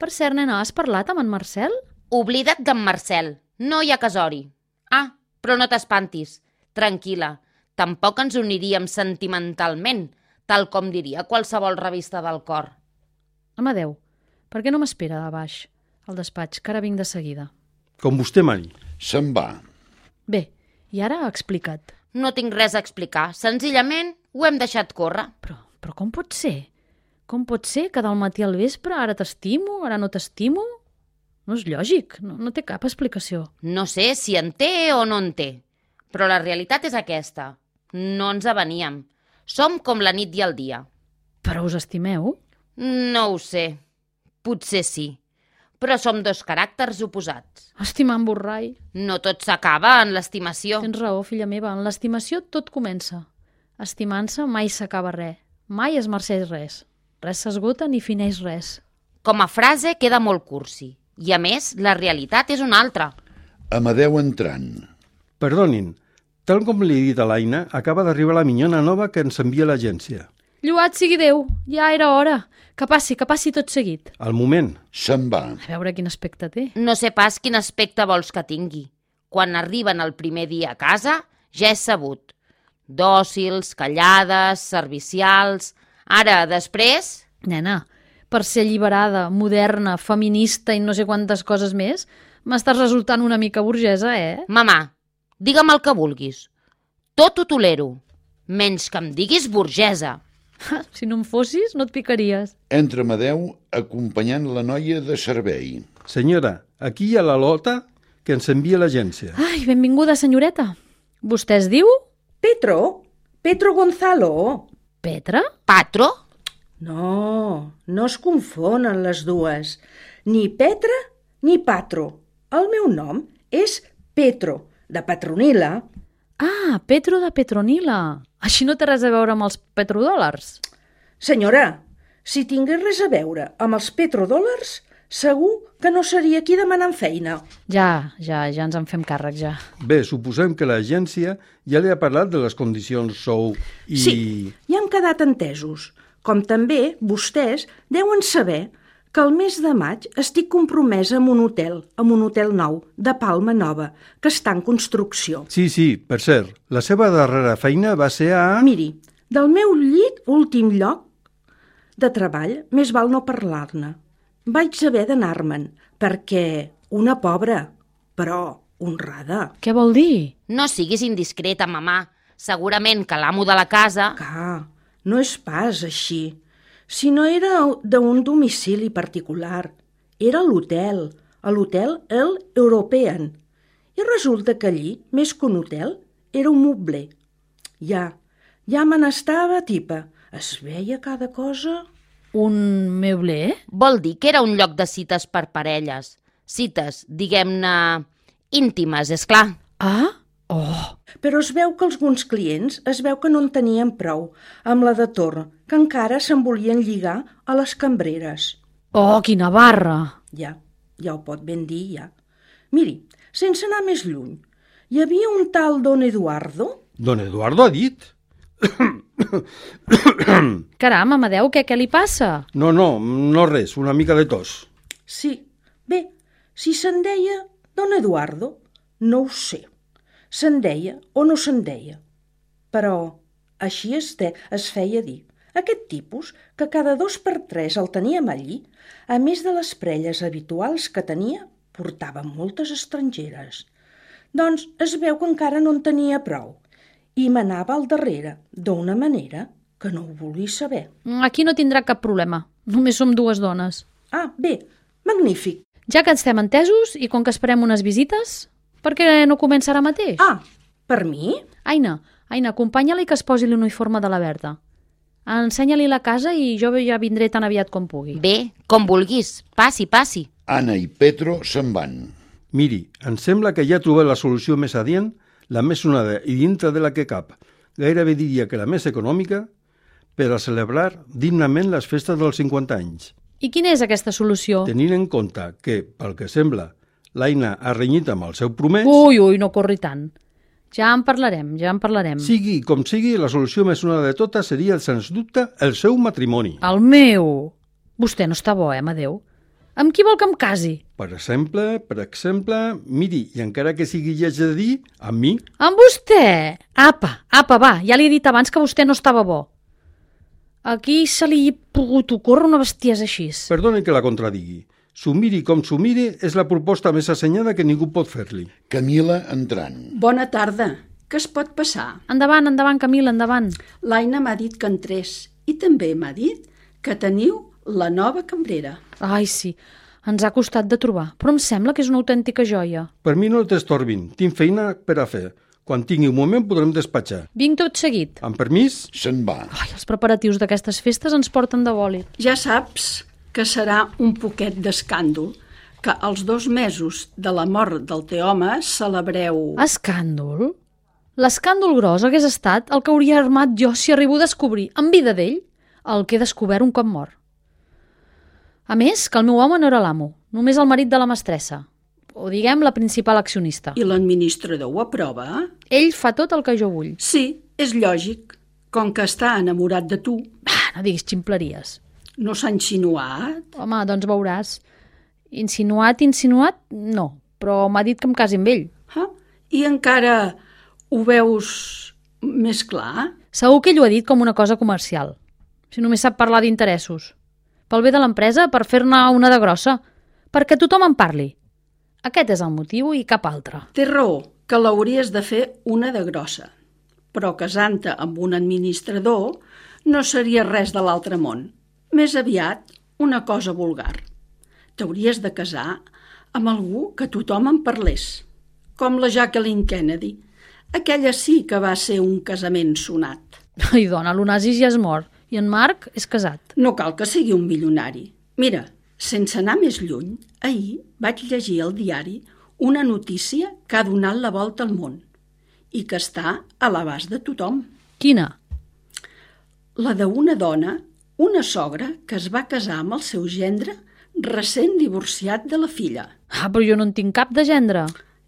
Per cert, nena, has parlat amb en Marcel? Oblida't d'en Marcel, no hi ha casori. Ah, però no t'espantis, tranquil·la, tampoc ens uniríem sentimentalment, tal com diria qualsevol revista del cor. Amadeu, per què no m'espera a baix, al despatx, que ara vinc de seguida? Com vostè mani. Se'n va. Bé, i ara explica't. No tinc res a explicar, senzillament ho hem deixat córrer. Però com pot ser? Com pot ser que del matí al vespre ara t'estimo, ara no t'estimo? No és lògic, no té cap explicació. No sé si en té o no en té, però la realitat és aquesta. No ens aveníem. Som com la nit i el dia. Però us estimeu? No ho sé. Potser sí. però som dos caràcters oposats. Estimant borrai. No tot s'acaba en l'estimació. Tens raó, filla meva, en l'estimació tot comença. Estimant-se mai s'acaba res, mai es merceix res. Res s'esgota ni fineix res. Com a frase queda molt cursi, i a més la realitat és una altra. Amadeu entrant. Perdonin, tal com li he dit a l'Aina, acaba d'arribar la minyona nova que ens envia l'agència. Lluat sigui Déu, ja era hora. Que passi tot seguit. Al moment. Se'n va. A veure quin aspecte té. No sé pas quin aspecte vols que tingui. Quan arriben el primer dia a casa, ja és sabut. Dòcils, callades, servicials... Ara, després... Nena, per ser alliberada, moderna, feminista i no sé quantes coses més, m'estàs resultant una mica burgesa, Mamà, digue'm el que vulguis. Tot ho tolero, menys que em diguis burgesa. Si no em fossis, no et picaries. Entra Amadeu acompanyant la noia de servei. Senyora, aquí hi ha la Lota que ens envia l'agència. Ai, benvinguda, senyoreta. Vostè es diu? Petro Gonzalo. Petra? Patro? No, no es confonen les dues. Ni Petra ni Patro. El meu nom és Petro, de Petronila. Ah, Petro de Petronila. Així no té res a veure amb els petrodòlars. Senyora, si tingués res a veure amb els petrodòlars, segur que no seria aquí demanant feina. Ja ens en fem càrrec, ja. Bé, suposem que l'agència ja li ha parlat de les condicions sou i... Sí, ja han quedat entesos. Com també vostès deuen saber que el mes de maig estic compromesa amb un hotel nou, de Palma Nova, que està en construcció. Sí, per cert, la seva darrera feina va ser a... Miri, del meu últim lloc de treball, més val no parlar-ne. Vaig haver d'anar-me'n, perquè una pobra, però honrada. Què vol dir? No siguis indiscreta, mamà. Segurament que l'amo de la casa... No és pas així. Si no era d'un domicili particular, era l'hotel, l'hotel El European. I resulta que allí, més que un hotel, era un mobler. Ja me n'estava tipa. Es veia cada cosa... Un meuler? Vol dir que era un lloc de cites per parelles. Cites, diguem-ne, íntimes, és clar. Ah? Oh! Però es veu que alguns clients que no en tenien prou amb la de torn, que encara se'n volien lligar a les cambreres. Oh, quina barra! Ja ho pot ben dir, ja. Miri, sense anar més lluny, hi havia un tal Don Eduardo... Don Eduardo ha dit? Caram, Amadeu, què li passa? No res, una mica de tos. Sí, bé, si se'n deia Don Eduardo, no ho sé. Se'n deia o no se'n deia. Però així es feia dir. Aquest tipus, que cada 2 per 3 el teníem allí, a més de les prelles habituals que tenia, portava moltes estrangeres. Doncs es veu que encara no en tenia prou i m'anava al darrere d'una manera que no ho vulgui saber. Aquí no tindrà cap problema. Només som 2 dones. Ah, bé, magnífic. Ja que estem entesos i com que esperem unes visites, per què no comença ara mateix? Ah, per mi? Aina, acompanya-la i que es posi l'uniforme de la Berta. Ensenya-li la casa i jo ja vindré tan aviat com pugui. Bé, com vulguis. Passi. Anna i Petro se'n van. Miri, em sembla que ja ha trobat la solució més adient, la més sonada i dintre de la que cap. Gairebé diria que la més econòmica per a celebrar dignament les festes dels 50 anys. I quina és aquesta solució? Tenint en compte que, pel que sembla, l'Aina ha renyit amb el seu promès... Ui, no corri tant. Ja en parlarem. Sigui com sigui, la solució més sonada de totes seria, sens dubte, el seu matrimoni. El meu? Vostè no està bo, Amadeu? Amb qui vol que em casi? Per exemple, miri, i encara que sigui lleig de dir, amb mi... Amb vostè? Apa, va, ja li he dit abans que vostè no estava bo. Aquí se li ha pogut ocórrer una bestiesa així. Perdoni que la contradigui. S'ho miri com s'ho miri, és la proposta més assenyada que ningú pot fer-li. Camila entrant. Bona tarda. Què es pot passar? Endavant, Camila, endavant. L'Aina m'ha dit que entrés i també m'ha dit que teniu la nova cambrera. Ai, sí, ens ha costat de trobar, però em sembla que és una autèntica joia. Per mi no t'estorbin, tinc feina per a fer. Quan tingui un moment podrem despatxar. Vinc tot seguit. Amb permís? Se'n va. Ai, els preparatius d'aquestes festes ens porten de bòlit. Ja saps que serà un poquet d'escàndol que als 2 mesos de la mort del teu home celebreu... Escàndol? L'escàndol gros hagués estat el que hauria armat jo si arribo a descobrir, en vida d'ell, el que he descobert un cop mort. A més, que el meu home no era l'amo, només el marit de la mestressa, o diguem la principal accionista. I l'administrador ho aprova? Ell fa tot el que jo vull. Sí, és lògic. Com que està enamorat de tu. No diguis ximpleries. No s'ha insinuat? Home, doncs veuràs. Insinuat, no, però m'ha dit que em casi amb ell. I encara ho veus més clar? Segur que ell ho ha dit com una cosa comercial. Si només sap parlar d'interessos. Pel bé de l'empresa, per fer-ne una de grossa. Perquè tothom en parli. Aquest és el motiu i cap altre. Té raó, que l'hauries de fer una de grossa. Però casant-te amb un administrador no seria res de l'altre món. Més aviat, una cosa vulgar. T'hauries de casar amb algú que tothom en parlés. Com la Jacqueline Kennedy. Aquella sí que va ser un casament sonat. Ai, dona, l'Onassis ja és mort i en Marc és casat. No cal que sigui un milionari. Mira, sense anar més lluny, ahir vaig llegir al diari una notícia que ha donat la volta al món i que està a l'abast de tothom. Quina? La d'una dona, una sogra, que es va casar amb el seu gendre recent divorciat de la filla. Però jo no en tinc cap de gendre.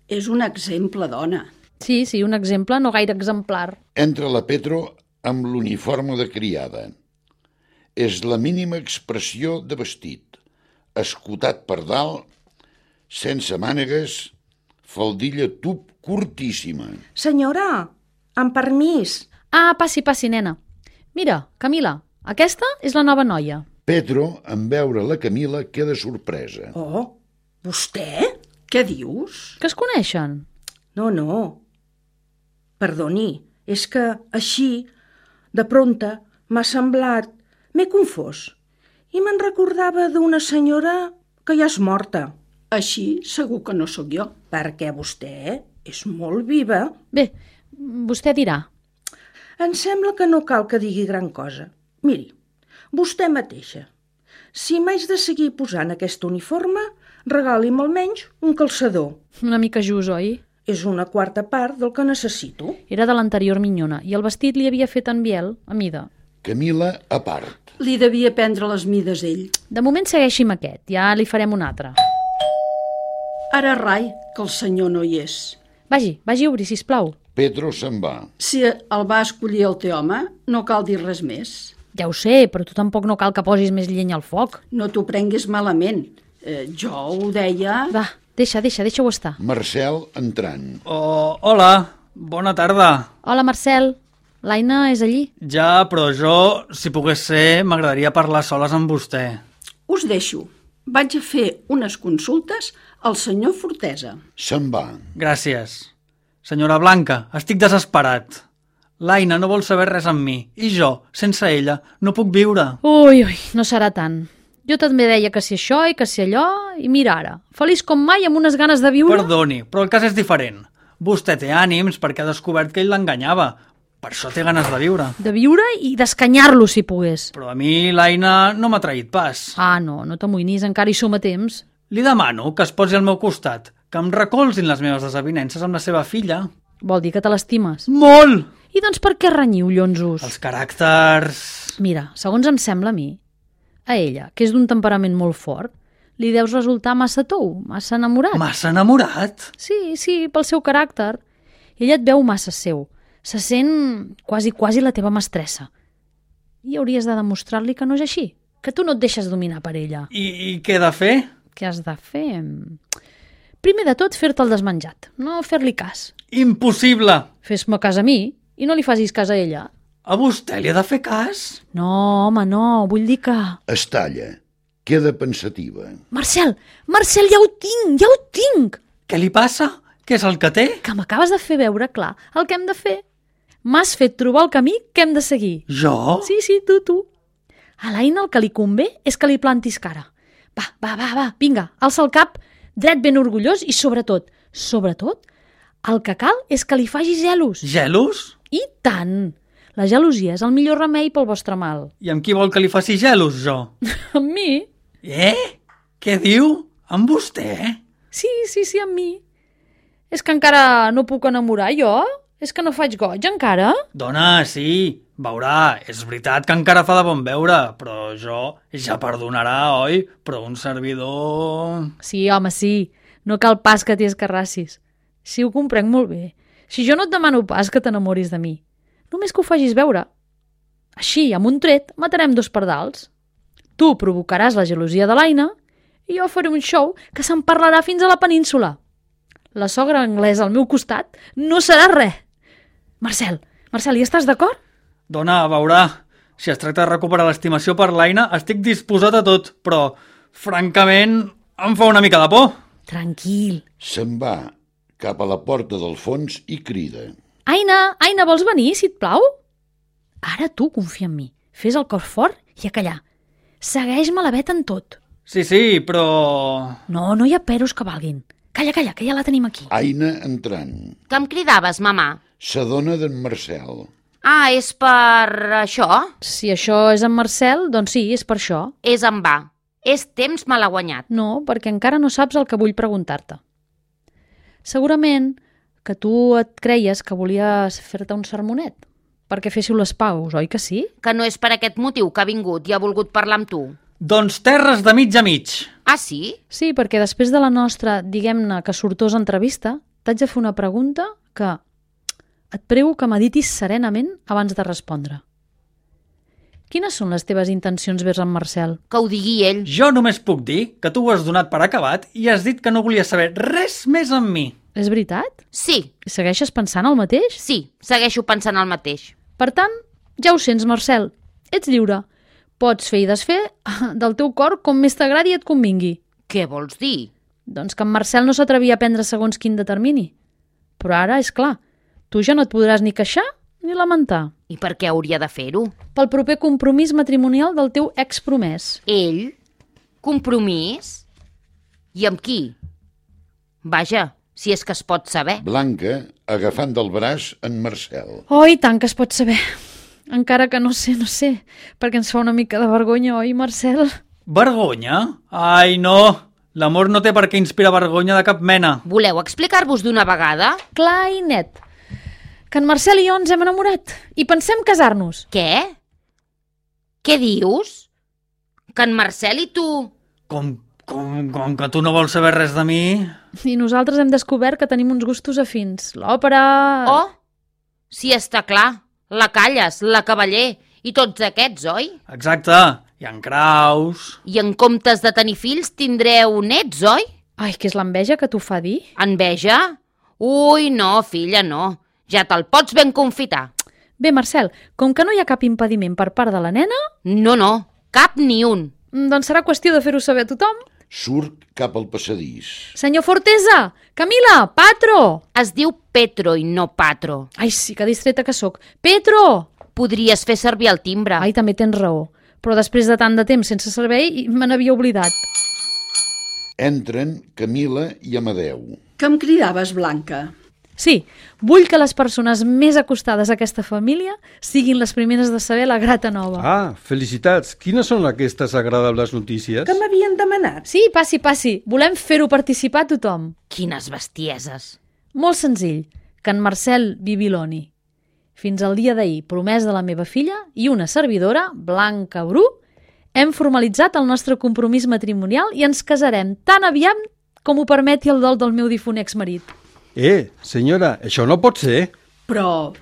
És un exemple, dona. Sí, un exemple no gaire exemplar. Entra la Petro amb l'uniforme de criada. És la mínima expressió de vestit. Escotat per dalt, sense mànegues, faldilla tub curtíssima. Senyora, amb permís. Passi, nena. Mira, Camila, aquesta és la nova noia. Petro, en veure la Camila, queda sorpresa. Oh, vostè? Què dius? Que es coneixen? No. Perdoni, és que així, de prompte, m'ha semblat... M'he confós. I me'n recordava d'una senyora que ja és morta. Així segur que no sóc jo. Perquè vostè és molt viva. Bé, vostè dirà. Em sembla que no cal que digui gran cosa. Miri, vostè mateixa. Si m'haig de seguir posant aquest uniforme, regali'm almenys un calçador. Una mica just, oi? És una quarta part del que necessito. Era de l'anterior minyona i el vestit li havia fet en Biel, a mida. Camila a part. Li devia prendre les mides ell. De moment segueixi amb aquest, ja li farem un altre. Ara rai, que el senyor no hi és. Vagi a obrir, sisplau. Pedro se'n va. Si el va escollir el teu home, no cal dir res més. Ja ho sé, però tu tampoc no cal que posis més llenya al foc. No t'ho prenguis malament. Jo ho deia... Va, deixa-ho estar. Marcel entrant. Hola, bona tarda. Hola, Marcel. L'Aina és allí? Ja, però jo, si pogués ser, m'agradaria parlar soles amb vostè. Us deixo. Vaig a fer unes consultes al senyor Fortesa. Se'n va. Gràcies. Senyora Blanca, estic desesperat. L'Aina no vol saber res amb mi, i jo, sense ella, no puc viure. Ui, no serà tant. Jo també deia que si això i que si allò, i mira ara, feliç com mai amb unes ganes de viure... Perdoni, però el cas és diferent. Vostè té ànims perquè ha descobert que ell l'enganyava. Per això té ganes de viure. De viure i d'escanyar-lo, si pogués. Però a mi l'Aina no m'ha traït pas. No t'amoïnis, encara hi som a temps. Li demano que es posi al meu costat, que em recolzin les meves desavinences amb la seva filla. Vol dir que te l'estimes? Molt! I doncs per què renyiu, llonzos? Els caràcters... Mira, segons em sembla a mi, a ella, que és d'un temperament molt fort, li deus resultar massa tou, massa enamorat. Massa enamorat? Sí, pel seu caràcter. Ella et veu massa seu. Se sent quasi la teva mestressa. I hauries de demostrar-li que no és així, que tu no et deixes dominar per ella. I què he de fer? Què has de fer? Primer de tot, fer-te el desmenjat, no fer-li cas. Impossible! Fes-me cas a mi i no li facis cas a ella. A vostè li ha de fer cas? No, home, no, vull dir que... Es talla. Queda pensativa. Marcel, ja ho tinc! Què li passa? Què és el que té? Que m'acabes de fer veure clar el que hem de fer. M'has fet trobar el camí que hem de seguir. Jo? Sí, tu. A l'Aina el que li convé és que li plantis cara. Va, vinga, alça el cap, dret ben orgullós i sobretot, el que cal és que li facis gelos. Gelos? I tant! La gelosia és el millor remei pel vostre mal. I amb qui vol que li faci gelos, jo? Amb mi? Què diu? Amb vostè? Sí, amb mi. És que encara no puc enamorar, jo? És que no faig goig, encara? Dona, sí, veurà, és veritat que encara fa de bon veure, però jo ja perdonarà, oi? Però un servidor... Sí, home, sí. No cal pas que t'hi escarrassis. Sí, ho comprenc molt bé. Si jo no et demano pas que t'enamoris de mi. Només que ho facis veure. Així, amb un tret, matarem dos pardals. Tu provocaràs la gelosia de l'Aina i jo faré un show que se'n parlarà fins a la península. La sogra anglesa al meu costat no serà res. Marcel, hi estàs d'acord? Dona, veurà, si es tracta de recuperar l'estimació per l'Aina, estic disposat a tot, però, francament, em fa una mica de por. Tranquil. Se'n va cap a la porta del fons i crida. Aina, vols venir, si et plau? Ara tu confia en mi. Fes el cor fort i a callar. Segueix-me la vet en tot. Sí, però... No hi ha peros que valguin. Calla, que ja la tenim aquí. Aina entrant. Que em cridaves, mamà? S'adona d'en Marcel. Ah, és per això? Si això és en Marcel, doncs sí, és per això. És en va. És temps malaguanyat. No, perquè encara no saps el que vull preguntar-te. Segurament que tu et creies que volies fer-te un sermonet, perquè féssiu les paus, oi que sí? Que no és per aquest motiu que ha vingut i ha volgut parlar amb tu. Doncs terres de mig a mig. Ah, sí? Sí, perquè després de la nostra, diguem-ne, que sortosa entrevista, t'haig de fer una pregunta que et prego que meditis serenament abans de respondre. Quines són les teves intencions vers en Marcel? Que ho digui ell. Jo només puc dir que tu ho has donat per acabat i has dit que no volies saber res més amb mi. És veritat? Sí. Segueixes pensant el mateix? Sí, segueixo pensant el mateix. Per tant, ja ho sents, Marcel. Ets lliure. Pots fer i desfer del teu cor com més t'agradi i et convingui. Què vols dir? Doncs que en Marcel no s'atrevia a prendre segons quin determini. Però ara, és clar, tu ja no et podràs ni queixar ni lamentar. I per què hauria de fer-ho? Pel proper compromís matrimonial del teu expromès. Ell? Compromís? I amb qui? Vaja, si és que es pot saber. Blanca, agafant del braç en Marcel. Oh, i tant que es pot saber. Encara que no sé, perquè ens fa una mica de vergonya, oi, Marcel? Vergonya? Ai, no! L'amor no té per què inspirar vergonya de cap mena. Voleu explicar-vos d'una vegada? Clar i net. Que en Marcel i jo ens hem enamorat i pensem casar-nos. Què? Què dius? Que en Marcel i tu... Com que tu no vols saber res de mi? I nosaltres hem descobert que tenim uns gustos afins. L'òpera... Oh, sí, està clar. La Calles, la Cavaller i tots aquests, oi? Exacte, i en Kraus... I en comptes de tenir fills tindreu nets, oi? Ai, que és l'enveja que t'ho fa dir? Enveja? Ui, no, filla, no. Ja te'l pots ben confitar. Bé, Marcel, com que no hi ha cap impediment per part de la nena... No, cap ni un. Doncs serà qüestió de fer-ho saber a tothom. Surt cap al passadís. Senyor Fortesa! Camila! Patro! Es diu Petro i no Patro. Ai, sí, que distreta que sóc. Petro! Podries fer servir el timbre. Ai, també tens raó. Però després de tant de temps sense servei, me n'havia oblidat. Entren Camila i Amadeu. Que em cridaves, Blanca? Sí, vull que les persones més acostades a aquesta família siguin les primeres de saber la grata nova. Ah, felicitats. Quines són aquestes agradables notícies? Que m'havien demanat. Sí, passi. Volem fer-ho participar a tothom. Quines bestieses. Molt senzill, que en Marcel Bibiloni. Fins al dia d'ahir, promès de la meva filla i una servidora, Blanca Bru, hem formalitzat el nostre compromís matrimonial i ens casarem tan aviat com ho permeti el dol del meu difunt exmarit. Senyora, això no pot ser. Però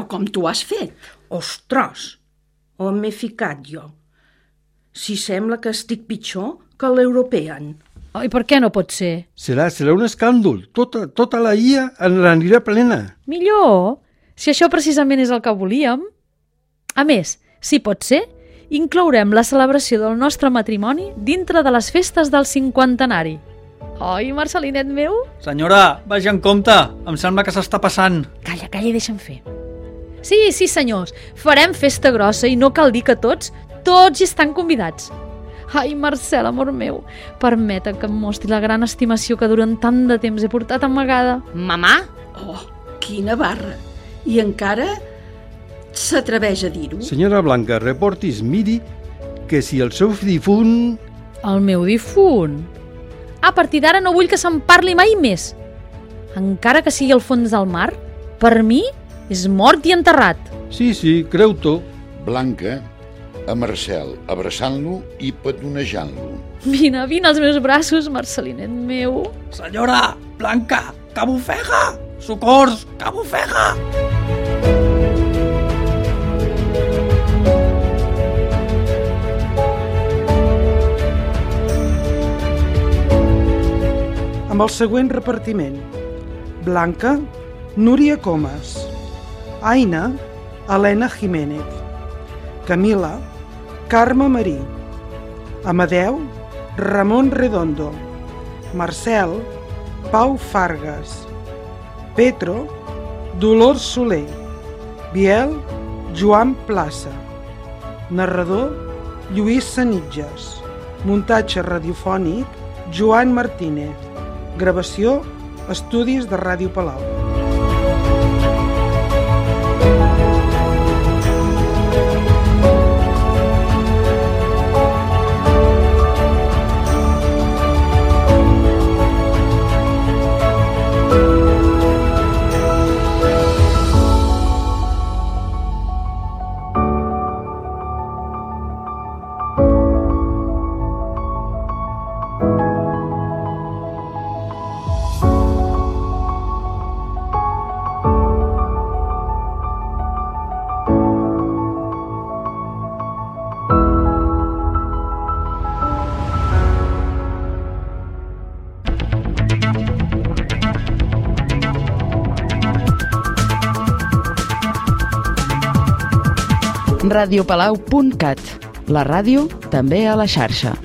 com t'ho has fet? Ostres, on m'he ficat jo? Si sembla que estic pitjor que l'European. I per què no pot ser? Serà un escàndol. Tota la IA anirà plena. Millor, si això precisament és el que volíem. A més, si pot ser, inclourem la celebració del nostre matrimoni dintre de les festes del 50enari. Oi, Marcelinet meu? Senyora, vagi en compte. Em sembla que s'està passant. Calla i deixa'm fer. Sí, senyors, farem festa grossa i no cal dir que tots hi estan convidats. Ai, Marcel, amor meu, permeta que em mostri la gran estimació que durant tant de temps he portat amagada. Mamà? Oh, quina barra. I encara s'atreveix a dir-ho? Senyora Blanca, reportis, miri que si el seu difunt... El meu difunt? A partir d'ara no vull que se'n parli mai més. Encara que sigui al fons del mar, per mi és mort i enterrat. Sí, creu-t'ho. Blanca, a Marcel, abraçant-lo i petonejant-lo. Vine als meus braços, Marcelinet meu. Senyora, Blanca, que bufega! Socors, que bufega! Amb el següent repartiment: Blanca, Núria Comas; Aina, Helena Jiménez; Camila, Carme Marí; Amadeu, Ramon Redondo; Marcel, Pau Fargas; Petro, Dolors Soler; Biel, Joan Plaça; narrador, Lluís Sanitges; muntatge radiofònic, Joan Martínez; gravació, Estudis de Ràdio Palau. radiopalau.cat. La ràdio també a la xarxa.